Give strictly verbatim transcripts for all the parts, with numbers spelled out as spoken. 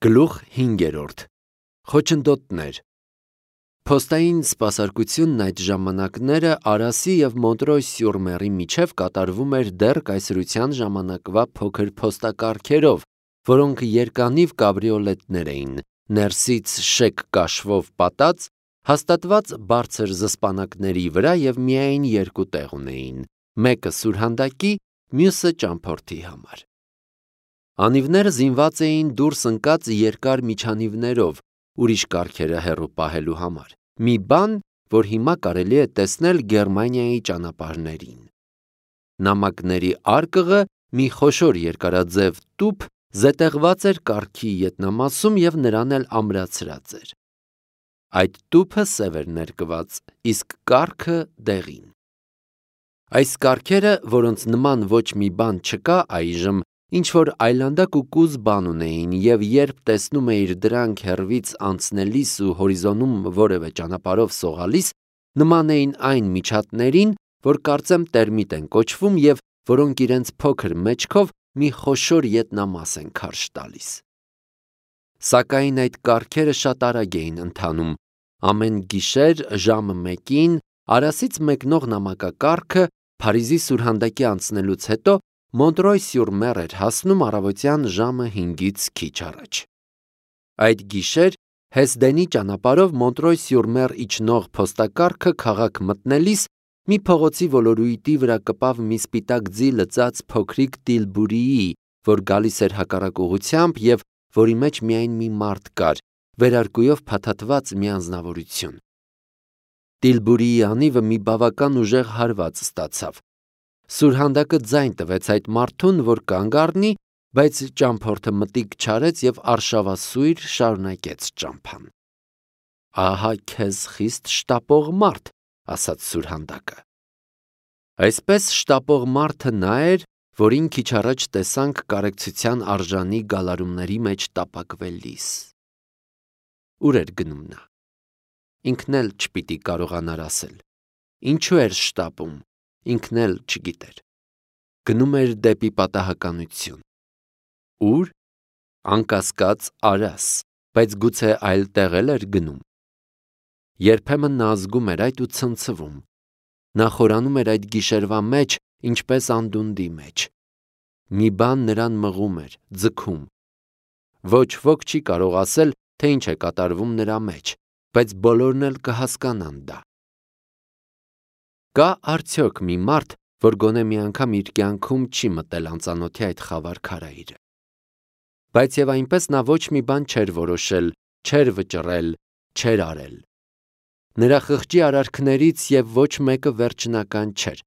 Գլուխ հինգերորդ. Խոչընդոտներ։ Փոստային սպասարկությունն այդ ժամանակները Արասի և Մոնտրոյ-սյուր-Մերի միջև կատարվում էր դեռ կայսրության ժամանակվա փոքր փոստակառքերով, որոնք երկանիվ կաբրիոլետներ էին, ներսից շեկ կաշվով պատած, հաստատված բարձր զսպանակների վրա և միայն երկու տեղ ունեին, մեկը սուրհանդակի, մյուսը ճամփորդի համար։ Անիվները զինված էին դուրս ընկած երկար միջանիվներով, ուրիշ կառքերը հեռու պահելու համար, մի բան, որ հիմա կարելի է տեսնել Գերմանիայի ճանապարհներին։ Նամակների արկղը մի խոշոր երկարաձև տուփ զետեղված էր կառքի ետնամասում և նրան էլ ամրացրած էր։ Այդ տուփը սև էր ներկված, իսկ կառքը դեղին։ Այս կառքերը, որոնց նման ոչ մի բան չկա այժմ, ինչ-որ այլանդակ ու կուզ բան ունեին, և երբ տեսնում էիր դրանք հեռվից անցնելիս ու հորիզոնում որևէ ճանապարհով սողալիս, նման էին այն միջատներին, որ կարծեմ տերմիտ են կոչվում և որոնք իրենց փոքր մեջքով մի խոշոր ետնամաս են քարշ տալիս։ Սակայն այդ կառքերը շատ արագ էին ընթանում։ Ամեն գիշեր ժամը մեկին Արասից մեկնող նամակակառքը Փարիզի սուրհանդակի անցնելուց հետո Մոնտրոյ-սյուր-Մեր էր հասնում առավոտյան ժամը հինգից քիչ առաջ։ Այդ գիշեր Հեսդենի ճանապարհով Մոնտրոյ-սյուր-Մեր իջնող փոստակառքը քաղաք մտնելիս մի փողոցի ոլորույթի վրա կպավ մի սպիտակ ձի լծած փոքրիկ տիլբուրիի, որ գալիս էր հակառակ ուղղությամբ և որի մեջ միայն մի մարդ կար, վերարկուով փաթաթված մի անձնավորություն։ Տիլբուրիի անիվը մի բավական ուժեղ հարված ստացավ։ Սուրհանդակը ձայն տվեց այդ մարդուն, որ կանգ առնի, բայց ճամփորդը մտիկ չարեց և արշավասույր շարունակեց ճամփան։ Ահա քեզ խիստ շտապող մարդ, ասաց սուրհանդակը։ Այսպես շտապող մարդը նա էր, որին քիչ առաջ տեսանք կարեկցության արժանի գալարումների մեջ տապակվելիս։ Ուր էր գնում նա։ Ինքն էլ չպիտի կարողանար ասել։ Ինչու էր շտապում, ինքն էլ չգիտեր։ Գնում էր դեպի պատահականություն։ Ուր։ Անկասկած Արաս, բայց գուցե այլ տեղ էլ էր գնում։ Երբեմն նա ազգում էր այդ ու ցնցվում։ Նա խորանում էր այդ գիշերվա մեջ, ինչպես անդունդի մեջ։ Մի բան նրան մղում էր, ձգում։ Ոչ ոք չի կարող ասել, թե ինչ է կատարվում նրա մեջ, բայց բոլորն էլ կհասկանան դա։ Կա արդյոք մի մարդ, որ գոնե մի անգամ իր կյանքում չի մտել անծանոթի այդ խավար քարայրը։ Բայց և այնպես նա ոչ մի բան չէր որոշել, չէր վճռել, չէր արել։ Նրա խղճի արարքներից և ոչ մեկը վերջնական չէր։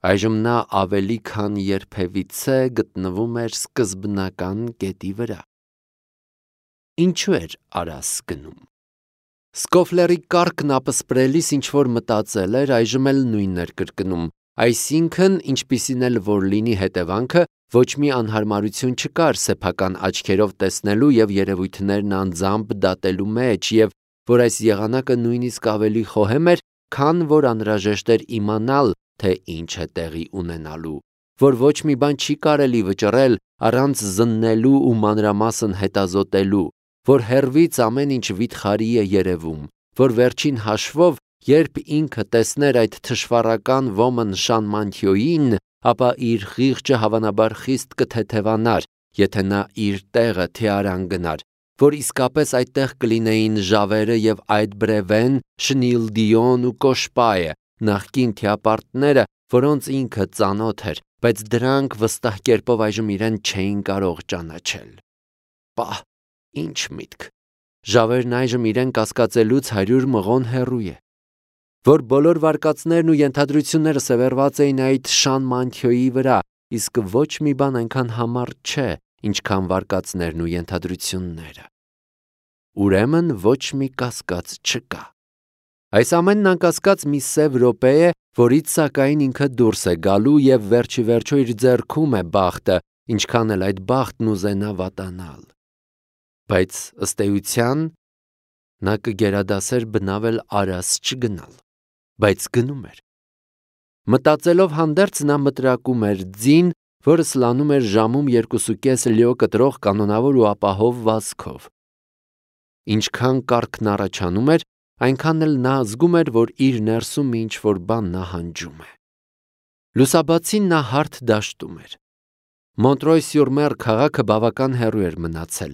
Այժմ նա ավելի քան երբևիցե գտնվում էր սկզբնական կետի վրա։ Ինչու էր Արաս գնում։ Սկոֆլերի կառքն ապսպրելիս ինչ-որ մտածել էր, այժմ էլ նույնն էր կրկնում, այսինքն, ինչպիսին էլ որ լինի հետևանքը, ոչ մի անհարմարություն չկար սեփական աչքերով տեսնելու և երևույթներն անձամբ դատելու մեջ, և որ այս եղանակը նույնիսկ ավելի խոհեմ էր, քան որ անհրաժեշտ էր իմանալ, թե ինչ է տեղի ունենալու, որ ոչ մի բան չի կարելի վճռել առանց զննելու ու մանրամասն հետազոտելու, որ հեռվից ամեն ինչ վիթխարի է երևում, որ վերջին հաշվով, երբ ինքը տեսներ այդ թշվառական ոմն Շանմանթիոյին, ապա իր խիղճը հավանաբար խիստ կթեթևանար, եթե նա իր տեղը թիարան գնար, որ իսկապես այդտեղ կլինեին Ժավերը և Այդբրևեն, Շնիլդիոն ու Կոշպայը, նախկին թիապարտները, որոնց ինքը ծանոթ էր, բայց դրանք վստահ կերպով այժմ իրեն չէին կարող ճանաչել։ Պահ, ինչ միտք։ Ժավերն այժմ իրեն կասկածելուց հարյուր մղոն հեռու է։ Որ բոլոր վարկածներն ու ենթադրությունները սևեռված էին այդ Շանմանթիոյի վրա, իսկ ոչ մի բան այնքան համառ չէ, ինչքան վարկածներն ու ենթադրությունները։ Ուրեմն ոչ մի կասկած չկա։ Այս ամենն անկասկած մի սև րոպե է, որից սակայն ինքը դուրս է գալու և վերջի վերջո իր ձեռքում է բախտը, ինչքան էլ այդ բախտն ուզենա վատանալ։ Բայց ըստ էության նա կգերադասեր բնավ էլ Արաս չգնալ, բայց գնում էր։ Մտածելով հանդերձ նա մտրակում էր ձին, որը սլանում էր ժամում երկուսուկես լյո կտրող կանոնավոր ու ապահով վազքով։ Ինչքան կառքն առաջանում էր, այնքան էլ նա զգում էր, որ իր ներսում ինչ որ բան նահանջում է։ Լուսաբացին նա հարթ դաշտում էր։ Մոնտրոյ-սյուր-Մեր քաղաքը բավական հեռու էր մնացել։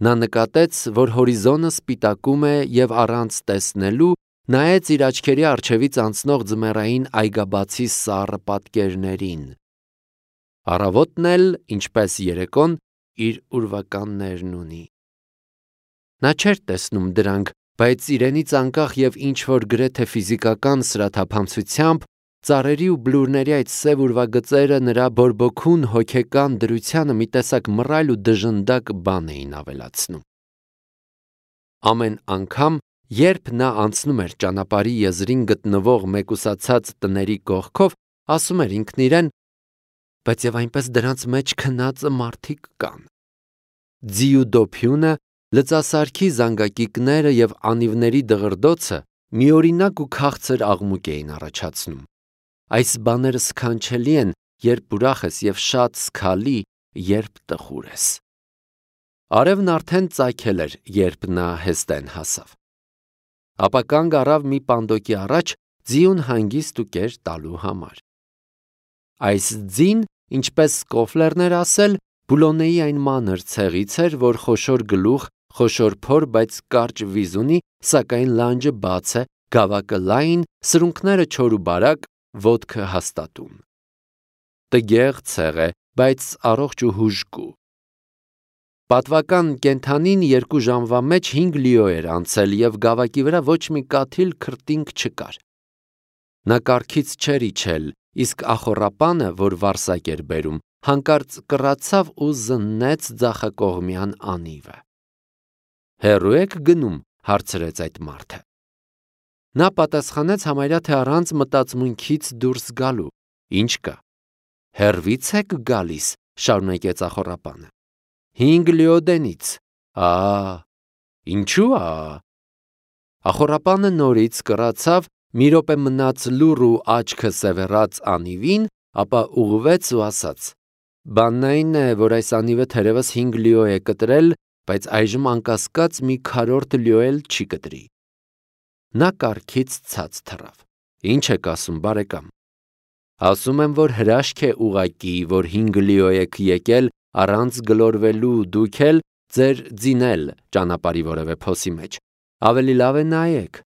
Նա նկատեց, որ հորիզոնը սպիտակում է և առանց տեսնելու նայեց իր աչքերի առջևից անցնող ձմեռային այգաբացի սառը պատկերներին։ Առավոտն էլ, ինչպես երեկոն, իր ուրվականներն ունի։ Նա չէր տեսնում դրանք, բայց իրենից անկախ և ինչ-որ գրեթե ֆիզիկական սրաթափանցությամբ ծառերի ու բլուրների այդ սև ուրվագծերը նրա բորբոքուն հոգեկան դրությանը մի տեսակ մռայլ ու դժնդակ բան էին ավելացնում։ Ամեն անգամ, երբ նա անցնում էր ճանապարհի եզրին գտնվող մեկուսացած տների կողքով, ասում էր ինքն իրեն. բայց և այնպես դրանց մեջ քնածը մարդիկ կան։ Ձի ու դոփյունը, լծասարքի զանգակիկները և անիվների դղրդոցը միօրինակ ու քաղցր աղմուկ էին առաջացնում։ Այս բաները սքանչելի են, երբ ուրախ ես, և շատ զգալի, երբ տխուր ես։ Արևն արդեն ծագել էր, երբ նա Հեստեն հասավ։ Ապա կանգ առավ մի պանդոկի առաջ ձիուն հանգիստ ու կեր տալու համար։ Այս ձին, ինչպես Սկոֆլերն էր ասել, Բուլոնեի այն մանր ցեղից էր, որ խոշոր գլուխ, խոշոր փոր, բայց կարճ վիզ ունի, սակայն լանջը բաց է, գավակը լայն, սրունքները չոր ու բարակ, ոտքը հաստատուն։ Տգեղ ցեղ է, բայց առողջ ու հուժկու։ Պատվական կենդանին երկու ժամվա մեջ հինգ լիո էր անցել և գավակի վրա ոչ մի կաթիլ քրտինք չկար։ Նա կառքից չէր իջել, իսկ ախոռապանը, որ վարսակ էր բերում, հանկարծ կռացավ ու զննեց ձախակողմյան անիվը։ Հեռո՞ւ եք գնում, հարցրեց այդ մարդը։ Նա պատասխանեց համարյա թե առանց մտածմունքից դուրս գալու։ Ինչ կա։ Հեռվից եք գալիս, շարունակեց ախոռապանը։ Հինգ լիոդենից։ Ա, ինչու՞ ա։ Ախոռապանը նորից կռացավ, մի րոպե մնաց լուռ ու աչքը սևեռած անիվին, ապա ուղղվեց ու ասաց. Բանն այն է, որ այս անիվը թերևս հինգ լիո է կտրել, բայց այժմ անկասկած մի քառորդ լիո էլ չի կտրի։ Նա կառքից ցած թռավ։ Ինչ եք ասում, բարեկամ։ Ասում եմ, որ հրաշք է ուղղակի, որ հինգ լիո եք եկել առանց գլորվելու դուք էլ, ձեր ձինել ճանապարհի որևէ փոսի մեջ։ Ավելի լավ է նայեք։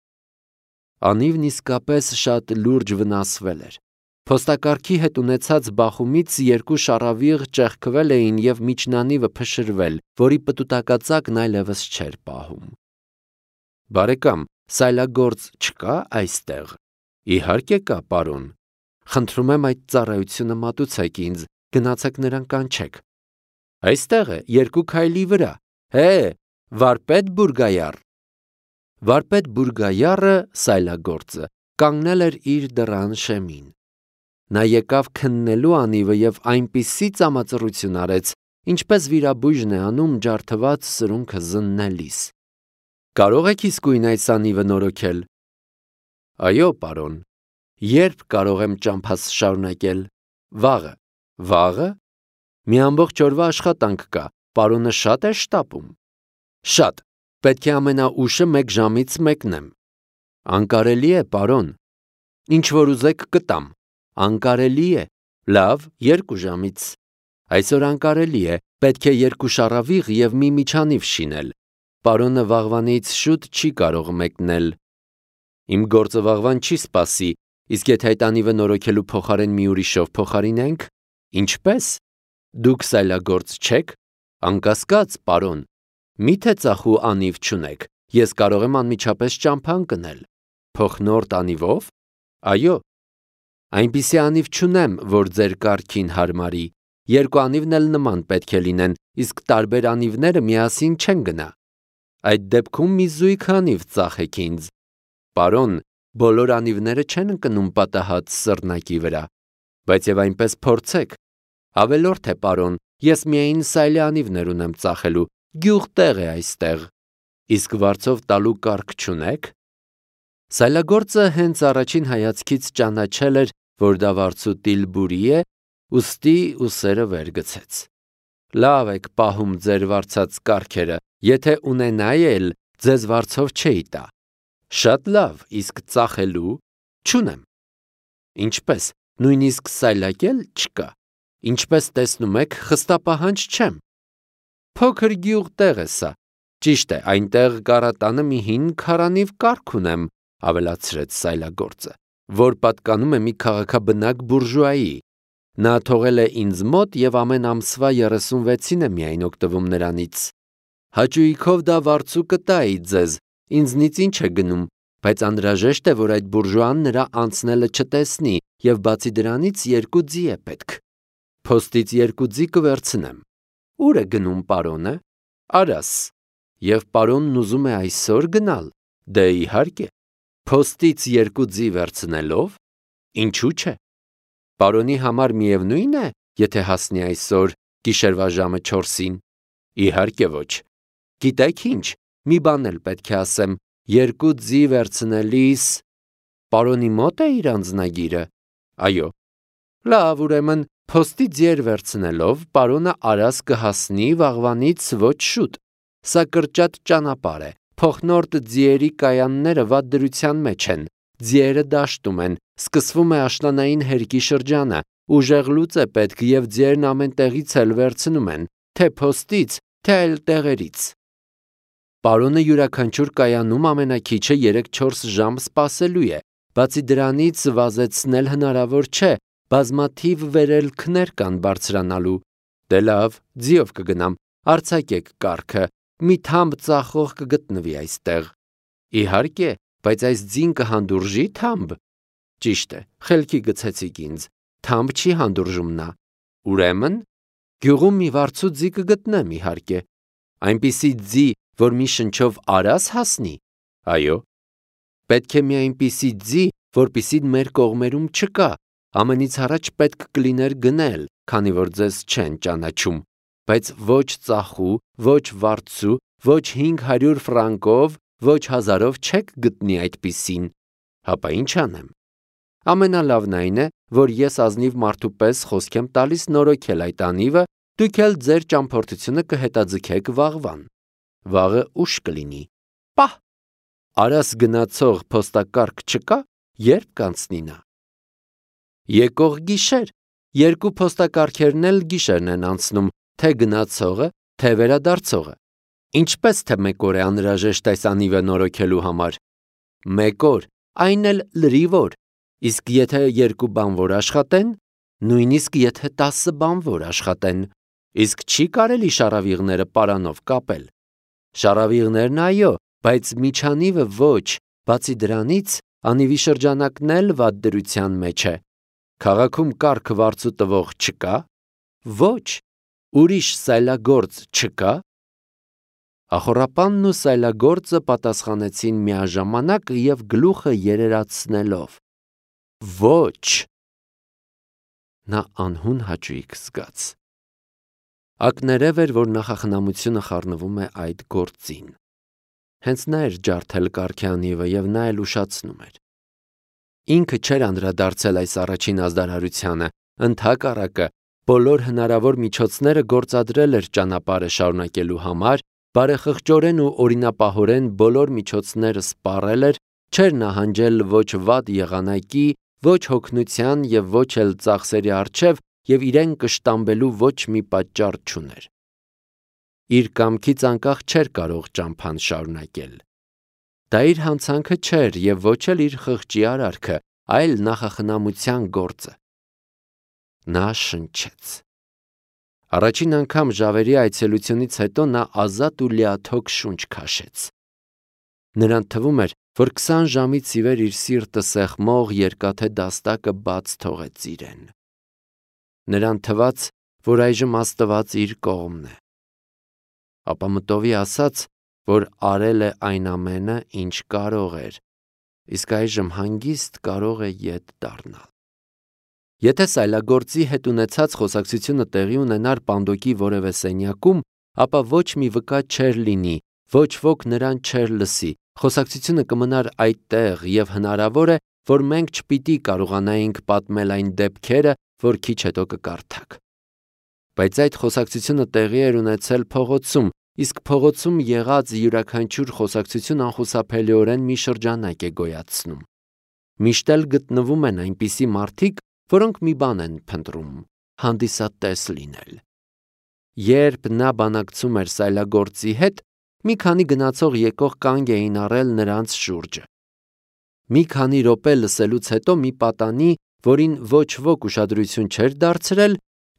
Անիվն իսկապես շատ լուրջ վնասվել էր։ Փոստակառքի հետ ունեցած բախումից երկու շառավիղ ճեղքվել էին և միջնանիվը փշրվել, որի պտուտակածակն այլևս չէր պահում։ Բարեկամ, սայլագործ չկա այստեղ։ Իհարկե կա, պարոն։ Խնդրում եմ այդ ծառայությունը մատուցեք ինձ, գնացեք նրան կանչեք։ Այստեղ է, երկու քայլի վրա։ Հե, վարպետ Բուրգայար։ Վարպետ Բուրգայարը, սայլագործը, կանգնել էր իր դռան շեմին։ Նա եկավ քննելու անիվը և այնպիսի ծամածռություն արեց, ինչպես վիրաբույժն է անում ջարդված սրունքը զննելիս։ Կարո՞ղ եք իսկույն այս անիվը նորոգել։ Այո, պարոն։ Ե՞րբ կարող եմ ճամփաս շարունակել։ Վաղը։ Վաղը։ Մի ամբողջ օրվա աշխատանք կա, պարոնը շատ է շտապում։ Շատ, պետք է ամենաուշը մեկ ժամից մեկնեմ։ Անկարելի է, պարոն։ Ինչ որ ուզեք կտամ։ Անկարելի է։ Լավ, երկու ժամից։ Այսօր անկարելի է, պետք է երկու շառավիղ և մի միջանիվ շինել։ Պարոնը վաղվանից շուտ չի կարող մեկնել։ Իմ գործը վաղվան չի սպասի, իսկ եթե այդ անիվը նորոգելու փոխարեն մի ուրիշով փոխարինենք։ Ինչպե՞ս։ Դուք սայլագործ չեք։ Անկասկած, պարոն։ Մի՞թե ծախու անիվ չունեք, ես կարող եմ անմիջապես ճամփա ընկնել։ Փոխնորդ անիվով։ Այո։ Այնպիսի անիվ չունեմ, որ ձեր կառքին հարմարի։ Երկու անիվն էլ նման պետք է լինեն, իսկ տարբեր անիվները միասին չեն գնա։ Այդ դեպքում մի զույգ անիվ ծախեք ինձ։ Պարոն, բոլոր անիվները չեն ընկնում պատահած սռնակի վրա, բայց և այնպես փորձեք։ Ավելորդ է, պարոն, ես միայն սայլի անիվներ ունեմ ծախելու, գյուղտեղ է այստեղ։ Իսկ վարձով տալու կառք չունեք։ Սայլագործը հենց առաջին հայացքից ճանաչել էր, որ դա վարձուտիլ բուրի է, ուստի ուսերը վեր գցեց։ Լավ եք պահում ձեր վարձած կառքերը, եթե ունենայի էլ ձեզ վարձով չէի տա։ Շատ լավ, իսկ ծախելու չունեմ։ Ինչպես, նույնիսկ սայլակել չկա։ Ինչպես տեսնում եք, խստապահանջ չեմ։ Փոքր գյուղ տեղ է սա։ Ճիշտ է, այնտեղ կառատանը մի հին քարանիվ կառք ունեմ, ավելացրեց սայլագործը, որ պատկանում է մի քաղաքաբնակ բուրժուայի։ Նա թողել է ինձ մոտ և ամեն ամսվա երեսունվեցին է միայն օգտվում նրանից։ Հաճույքով դա վարձու կտայի ձեզ, ինձնից ինչ է գնում, բայց անհրաժեշտ է, որ այդ բուրժուան նրա անցնելը չտեսնի, և բացի դրանից երկու ձի է պետք։ Փոստից երկու ձի կվերցնեմ։ Ուր է գնում պարոնը։ Արաս։ Եվ պարոնն ուզում է այսօր գնալ։ Դե իհարկե։ Փոստից երկու ձի վերցնելով, ինչու՞ չէ։ Պարոնի համար միևնույն է, եթե հասնի այսօր գիշերվա ժամը չորսին։ Իհարկե ոչ։ Գիտեք ինչ, մի բան էլ պետք է ասեմ, երկու ձի վերցնելիս պարոնի մոտ է իր անձնագիրը։ Այո։ Լավ, ուրեմն փոստի ձիեր վերցնելով պարոնը Արաս կհասնի վաղվանից ոչ շուտ։ Սա կրճատ ճանապարհ է, փոխնորդ ձիերի կայանները վատ դրության մեջ են, ձիերը դաշտում են, սկսվում է աշնանային հերկի շրջանը, ուժեղ լուծ է պետք և ձիերն ամեն տեղից էլ վերցնում են, թե փոստից, թե այլ տեղերից։ Պարոնը յուրաքանչյուր կայանում ամենաքիչը երեք-չորս ժամ սպասելու է, բացի դրանից վազեցնել հնարավոր չէ, բազմաթիվ վերելքներ կան բարձրանալու։ Դե լավ, ձիով կգնամ, արձակեք կառքը, մի թամբ ծախող կգտնվի այստեղ։ Իհարկե, բայց այս ձին կհանդուրժի թամբ։ Ճիշտ է, խելքի գցեցիք ինձ, թամբ չի հանդուրժում նա։ Ուրեմն, գյուղում մի վարձու ձի կգտնեմ, իհարկե։ Այնպիսի ձի, որ մի շնչով Արաս հասնի։ Այո։ Պետք է մի այնպիսի ձի, որպիսի մեր կողմերում չկա։ Ամենից առաջ պետք կլիներ գնել, քանի որ ձեզ չեն ճանաչում, բայց ոչ ծախու, ոչ վարձու, ոչ հինգ հարյուր ֆրանկով, ոչ հազարով չեք գտնի այդպիսին։ Հապա ինչ անեմ։ Ամենալավն այն է, որ ես ազնիվ մարդու պես խոսք եմ տալիս նորոգել այդ անիվը, դուք էլ ձեր ճամփորդությունը կհետաձգեք վաղվան։ Վաղը ուշ կլինի։ Պահ։ Արաս գնացող փոստակառք չկա, երբ կանցնի նա։ Եկող գիշեր, երկու փոստակառքերն էլ գիշերն են անցնում, թե գնացողը, թե վերադարձողը։ Ինչպես թե մեկ օր է անհրաժեշտ այս անիվը նորոգելու համար։ Մեկ օր, այն էլ լրիվ օր, իսկ եթե երկու բանվոր աշխատեն, նույնիսկ եթե տասը բանվոր աշխատեն, իսկ չի կարելի շառավիղները պարանով կապել։ Շառավիղներն այո, բայց միջանիվը ոչ, բացի դրանից անիվի շրջանակն էլ վատ դրության մեջ է։ Քաղաքում կառք վարձու տվող չկա։ Ոչ, ուրիշ սայլագործ չկա։ Ախոռապանն ու սայլագործը պատասխանեցին միաժամանակ և գլուխը երերացնելով։ Ոչ։ Նա անհուն հաճույք զգաց։ Ակներև էր, որ նախախնամությունը խառնվում է այդ գործին։ Հենց նա էր ջարդել կառքի անիվը և նա էլ ուշացնում էր։ Ինքը չէր անդրադարձել այս առաջին ազդարարությանը, ընդհակառակը, բոլոր հնարավոր միջոցները գործադրել էր ճանապարհը շարունակելու համար, բարեխղճորեն ու օրինապահորեն բոլոր միջոցները սպառել էր, չէր նահանջել ոչ վատ եղանակի, ոչ հոգնության և ոչ էլ ծախսերի առջև և իրեն կշտամբելու ոչ մի պատճառ չուներ։ Իր կամքից անկախ չէր կարող ճամփան շարունակել։ Դա իր հանցանքը չէր և ոչ էլ իր խղճի արարքը, այլ նախախնամության գործը։ Նա շնչեց։ Առաջին անգամ ժավերի այցելությունից հետո նա ազատ ու լիաթոք շունչ քաշեց։ Նրան թվում էր, որ քսան ժամից ի վեր իր սիրտը սեղմող երկաթե դաստակը բաց թողեց իրեն։ Նրան թվաց, որ այժմ Աստված իր կողմն է։ Ապա մտովի ասաց, որ արել է այն ամենը, ինչ կարող էր, իսկ այժմ հանգիստ կարող է ետ դառնալ։ Եթե սայլագործի հետ ունեցած խոսակցությունը տեղի ունենար Պանդոկի որևէ սենյակում, ապա ոչ մի վկա չէր լինի, ոչ ոք նրան չէր լսի, խոսակցությունը կմնար այդտեղ և հնարավոր է, որ մենք չպիտի կարողանայինք պատմել այն դեպքերը, որ քիչ հետո կկարդաք։ Բայց այդ խոսակցությունը տեղի էր ունեցել փողոցում, իսկ փողոցում եղած յուրաքանչյուր խոսակցություն անխուսափելիորեն մի շրջանակ է գոյացնում։ Միշտ էլ գտնվում են այնպիսի մարդիկ, որոնք մի բան են փնտրում՝ հանդիսատես լինել։ Երբ նա բանակցում էր սայլագործի հետ, մի քանի գնացող եկող կանգ էին առել նրանց շուրջը։ Մի քանի րոպե լսելուց հետո մի պատանի, որին ոչ ոք ուշադրություն չէր դարձրել,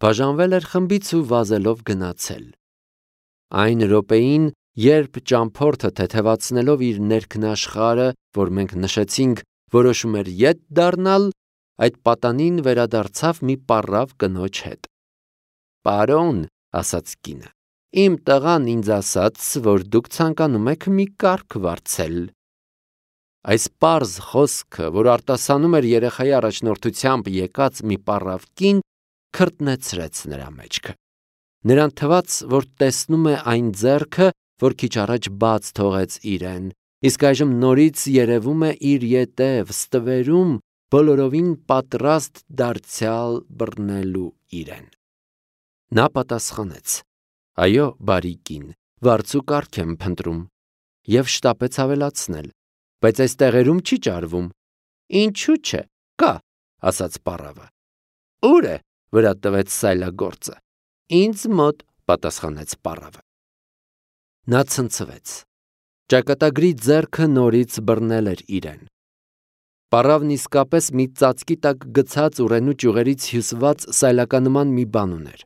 բաժանվել էր խմբից ու վազելով գնացել։ Այն րոպեին, երբ ճամփորդը թեթևացնելով իր ներքնաշխարհը, որ մենք նշեցինք, որոշում էր ետ դառնալ, այդ պատանին վերադարձավ մի պառավ կնոջ հետ։ «Պարոն», ասաց կինը, «իմ տղան ինձ ասաց, որ դուք ցանկանում եք մի կառք վարձել»։ Այս պարզ խոսքը, որ արտասանում էր երեխայի առաջնորդությամբ եկած մի պառավ կին, քրտնեցրեց նրա մեջքը։ Նրան թվաց, որ տեսնում է այն ձեռքը, որ քիչ առաջ բաց թողեց իրեն, իսկ այժմ նորից երևում է իր ետև ստվերում, բոլորովին պատրաստ դարձյալ բռնելու իրեն։ Նա պատասխանեց. «Այո, բարի կին, վարձու կառք եմ փնտրում» և շտապեց ավելացնել. «Բայց այս տեղերում չի ճարվում»։ «Ինչու՞ չէ, կա», ասաց պառավը։ «Ո՞ւր է»։ վրա տվեց սայլագործը։ «Ինձ մոտ», պատասխանեց պառավը։ Նա ցնցվեց։ Ճակատագրի ձեռքը նորից բռնել էր իրեն։ Պառավն իսկապես մի ծածկի տակ գցած ուռենու ճյուղերից հյուսված սայլականման մի բան ուներ։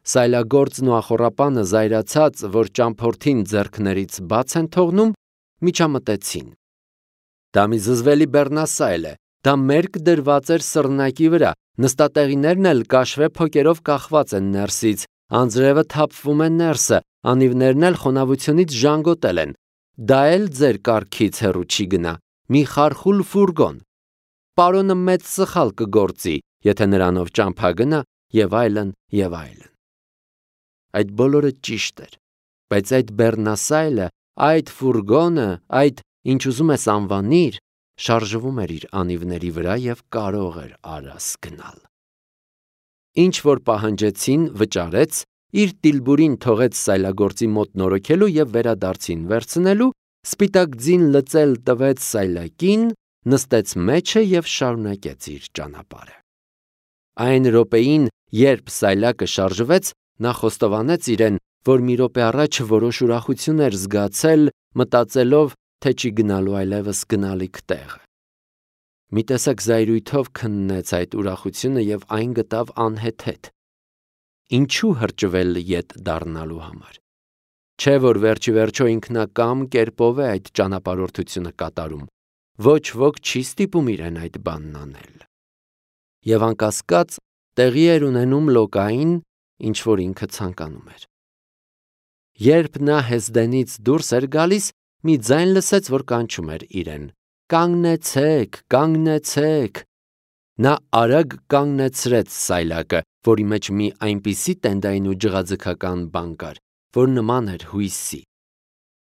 Սայլագործն ու ախոռապանը զայրացած, որ ճամփորդին ձեռքներից բաց են թողնում, միջամտեցին։ Դա մի զզվելի բեռնասայլ է, դա մերկ դրված էր սռնակի վրա, նստատեղիներն էլ կաշվե փոկերով կախված են ներսից, անձրևը թափվում է ներսը, անիվներն էլ խոնավությունից ժանգոտել են։ Դա էլ ձեր կառքից հեռու չի գնա, մի խարխուլ ֆուրգոն։ Պարոնը մեծ սխալ կգործի, եթե նրանով ճամփա գնա, եւ այլն, եւ այլն։ Այդ բոլորը ճիշտ էր, բայց այդ բեռնասայլը, այդ ֆուրգոնը, այդ ինչ ուզում ես անվանիր, շարժվում էր իր անիվների վրա եւ կարող էր արաս գնալ։ Ինչ որ պահանջեցին, վճարեց, իր տիլբուրին թողեց սայլագործի մոտ նորոգելու եւ վերադարձին վերցնելու, սպիտակ ձին լծել տվեց սայլակին, նստեց մեջը եւ շարունակեց իր ճանապարհը։ Այն րոպեին, երբ սայլակը շարժվեց, նա խոստովանեց իրեն, որ մի րոպե առաջ որոշ ուրախություն էր զգացել, մտածելով, թե չի գնալու այլևս գնալիք տեղը։ Մի տեսակ զայրույթով քննեց այդ ուրախությունը եւ այն գտավ անհեթեթ։ Ինչու հրճվել ետ դառնալու համար։ Չէ որ վերջի վերջո ինքնակամ կերպով է այդ ճանապարհորդությունը կատարում։ Ոչ ոք չի ստիպում իրեն այդ բանն անել։ Եվ անկասկած տեղի էր ունենում լոկային, ինչ որ ինքը ցանկանում էր։ Երբ նա Հեսդենից դուրս էր գալիս, մի ձայն լսեց, որ կանչում էր իրեն. «Կանգնեցեք, կանգնեցեք»։ Նա արագ կանգնեցրեց սայլակը, որի մեջ մի այնպիսի տենդային ու ջղաձգական բան կար, որ նման էր հույսի։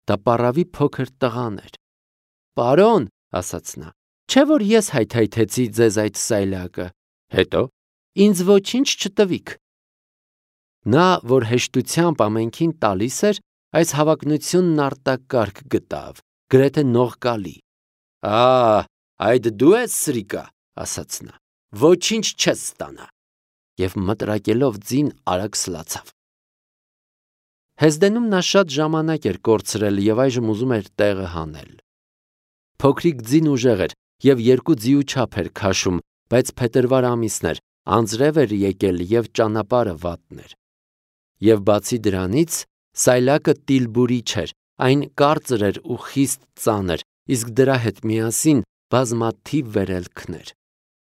Դա պառավի փոքր տղան էր։ «Պարոն», ասաց նա, «չէ որ ես հայթայթեցի ձեզ այդ սայլակը, հետո ինձ ոչինչ չտվիք»։ Նա, որ հեշտությամբ ամենքին տալիս էր, այս հավակնությունն արտակարգ գտավ, գրեթե նողկալի։ «Ա, այդ դու ես սրիկա», ասաց նա, «ոչինչ չես ստանա» և մտրակելով ձին արագ սլացավ։ Հեսդենում նա շատ ժամանակ էր կորցրել և այժմ ուզում էր տեղը հանել։ Փոքրիկ ձին ուժեղ էր և երկու ձիու չափ էր քաշում, բայց փետրվար ամիսն էր, անձրև էր եկել և ճանապարհը վատն էր։ Եվ բացի դրանից, սայլակը տիլբուրի չէր, այն կարծր էր ու խիստ ծանր, իսկ դրա հետ միասին բազմաթիվ վերելքներ։